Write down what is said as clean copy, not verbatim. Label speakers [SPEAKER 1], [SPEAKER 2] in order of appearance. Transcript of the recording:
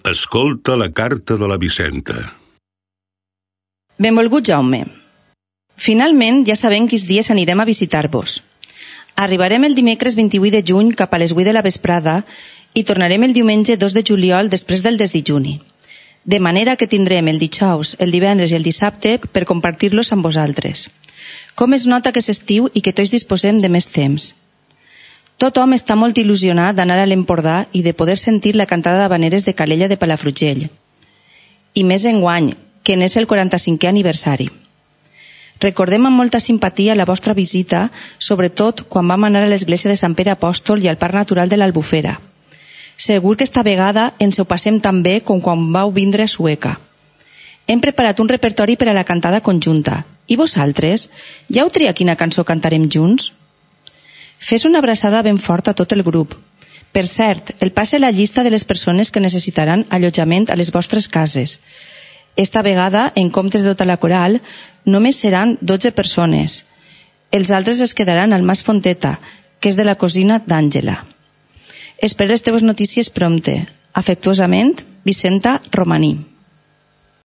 [SPEAKER 1] Escolta la carta de la Vicenta.
[SPEAKER 2] Benvolgut Jaume. Finalment ja sabem quins dies anirem a visitar-vos. Arribarem el dimecres 28 de juny cap a les 8 de la vesprada i tornarem el diumenge 2 de juliol després del desdijuni. De manera que tindrem el dijous, el divendres i el dissabte per compartir-los amb vosaltres. Com es nota que és estiu i que tots disposem de més temps. Tothom està molt il·lusionat d'anar a l'Empordà i de poder sentir la cantada d'havaneres de Calella de Palafrugell. I més enguany, que n'és el 45è aniversari. Recordem amb molta simpatia la vostra visita, sobretot quan vam anar a l'església de Sant Pere Apòstol i al Parc Natural de l'Albufera. Segur que esta vegada ens ho passem tan bé com quan vau vindre a Sueca. Hem preparat un repertori per a la cantada conjunta. I vosaltres? Ja heu triat quina cançó cantarem junts? Fes una abraçada ben forta a tot el grup. Per cert, el passe la llista de les persones que necessitaran allotjament a les vostres cases. Esta vegada, en comptes de tota la coral, només seran 12 persones. Els altres es quedaran al Mas Fonteta, que és de la cosina d'Àngela. Espero les teves notícies prompte. Afectuosament, Vicenta Romaní.